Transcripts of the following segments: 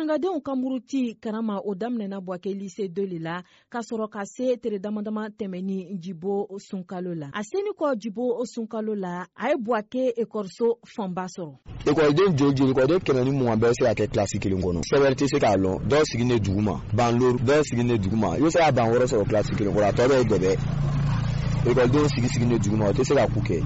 Karangadenw ka muruti karama, o daminɛna Buwake Lycée 2 le la, ka sɔrɔ ka se tere damadama tɛmɛni Jibo Sunkalo la. A seni kɔ Jibo Sunkalo la, a ye Buwake ekɔliso fanba sɔrɔ. Ekɔliden joli joli? Ekɔliden 120 bɛɛ bɛ se ka kɛ kilasi kelen kɔnɔ. Sɛbɛn tɛ se k'a lɔn. Dɔw sigilen duguma, ban loru, dɔw sigilen duguma. I bɛ se ka ban 6 sɔrɔ kilasi kelen kɔnɔ, a tɔ bɛɛ ye dɛbɛ. Ekɔlidenw sigi sigilen duguma, o tɛ se ka ku kɛ.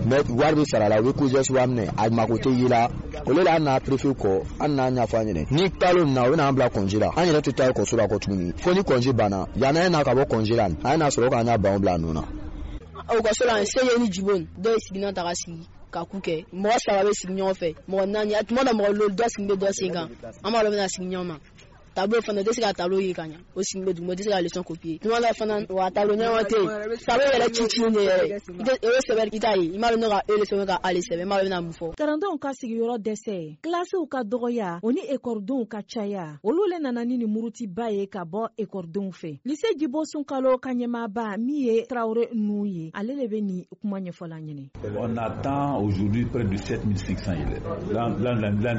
Mais wari bɛ sara la, u bɛ COJES wari minɛ, a mako tɛ ye la. O le la, an n'a préfet kɔ, an n'a ɲɛfɔ an ɲɛnɛ ni kalo nin na, u bɛna an bila congé la. An yɛrɛ tɛ taa ekɔliso la kɔ tuguni fo ni congé banna. Yanni an ye na ka bɔ congé la, an ye n'a sɔrɔ k'an y'a banw bila a nɔ na. Ekɔliso la, sege ni jibo, dɔw ye sigilan ta ka sigi ka ku kɛ. Mɔgɔ saba bɛ sigi ɲɔgɔn fɛ, mɔgɔ naani, a tuma dɔ mɔgɔ loolu, dɔ sigi bɛ dɔ sen kan. An b'a dɔn bɛna sigi ɲɔgɔn ma. Tableau fana, o tɛ se ka tableau ye ka ɲa, o sigi bɛ duguma, o tɛ se ka leçon copier. Tuma dɔ fana, wa tableau ɲɛnama tɛ yen, tableau yɛrɛ ci ci de yɛrɛ, i tɛ o sɛbɛn, i t'a ye, i m'a dɔn ne ka e le sɛbɛn ka a le sɛbɛn, i m'a dɔn bɛna mun fɔ. Kalandenw ka sigiyɔrɔ dɛsɛ, kilasiw ka dɔgɔya, o ni ekɔlidenw ka caya, olu le nana ni nin murutiba ye ka bɔ ekɔlidenw fɛ. Lycée Jibo Sunkalo ka ɲɛmaaba, min ye Tarawele nu ye, ale le bɛ nin kuma ɲɛfɔla ɲɛnɛ. On attend aujourd'hui près de 7500 élèves. L'an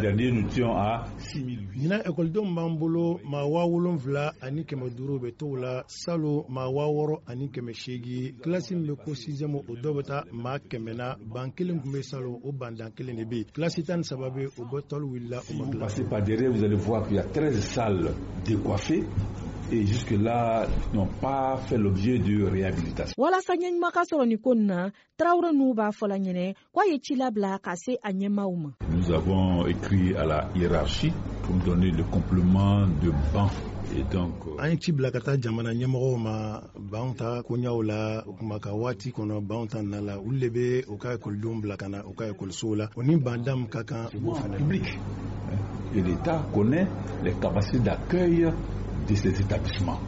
dernier, nous étions à 6008. Ɲinan, ekɔlidenw b'an bolo maa 7500 bɛ t'o la. Salo, maa 6800. Kilasi min bɛ ko sixième, o dɔ bɛ taa maa 100 na. Ban kelen tun bɛ salo, o bandan kelen de bɛ yen. Kilasi 13 bɛ, o bɛ tɔli wulila, o Si ma vous dilan. passez par derrière, vous allez voir qu'il y a 13 salles décoiffées et jusque-là n'ont pas fait l'objet de réhabilitation. Walasa ɲɛɲuman ka sɔrɔ nin ko nin na, Tarawele n'u b'a fɔla ɲɛnɛ k'a ye ci labila ka se a ɲɛmaaw ma. Nous avons écrit à la hiérarchie pour nous donner le complément de bancs. Et donc, An ye ci bila ka taa jamana ɲɛmɔgɔw ma banw ta koɲaw la. O kuma ka waati kɔnɔ, banw ta na la, olu de bɛ u ka ekɔlidenw bila ka na u ka ekɔlisow la. O ni banda min ka kan, u b'o fana public, hein. Et l'État connaît les capacités d'accueil de ces établissements.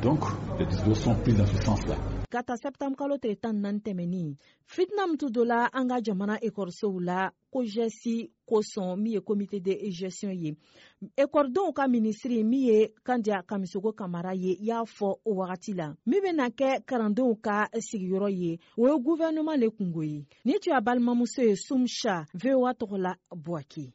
Donc, les dispositions sont prises dans ce sens-là. Ka ta sɛptanburu kalo tile 14 tɛmɛnin, fitina min tun donna an ka jamana ekɔlisow la COJES kosɔn, min ye comité de gestion ye, ekɔlidenw ka minisiri, min ye Kandiya Kamisogo Kamara ye, y'a fɔ o wagati la, min bɛna kɛ kalandenw ka sigiyɔrɔ ye, o ye gouvernement le kungo ye. Ni tun y'a balimamuso ye Sumsa, VOA tɔgɔ la, Buwake.